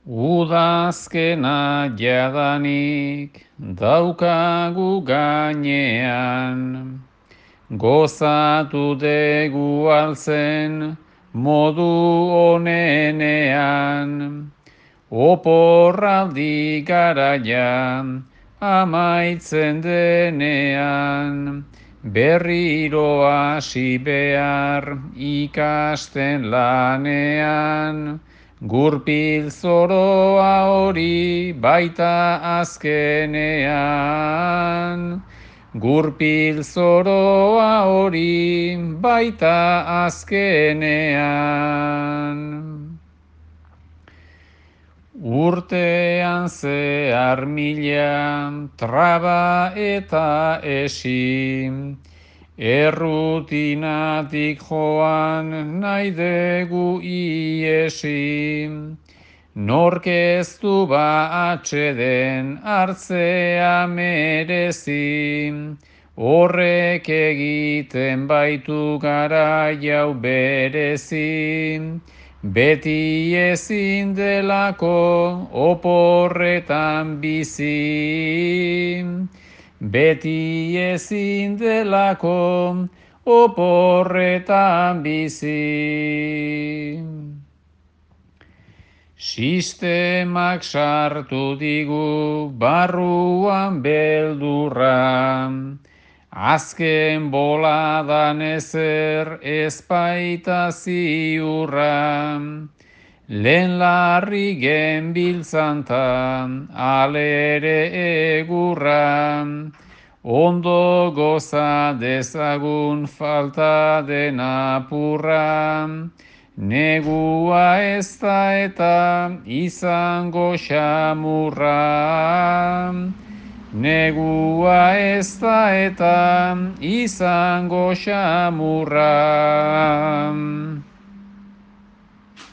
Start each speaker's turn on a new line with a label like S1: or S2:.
S1: Udazkena jadanik daukagu gainean, gozatu degu alzen modu onenean, oporraldi garaian amaitzen denean, berriro hasi behar ikasten lanean, gurpil zoroa hori baita azkenean. Gurpil zoroa hori baita azkenean. Urtean zehar mila traba eta esi, errutinatik joan nahi dugu iesi, nork ez du ba atxeden hartzea merezi, horrek egiten baitu gara jau berezi, beti ezin delako oporretan bizi. Beti ezin delako oporretan bizi. Sistemak sartu digu barruan beldurra, azken boladan ezer ezpaita ziurra, lehen larri genbiltzantan alere egurra, ondo goza dezagun falta den apurra, negua ez da eta izango xamurra. Negua ez da eta izango xamurra.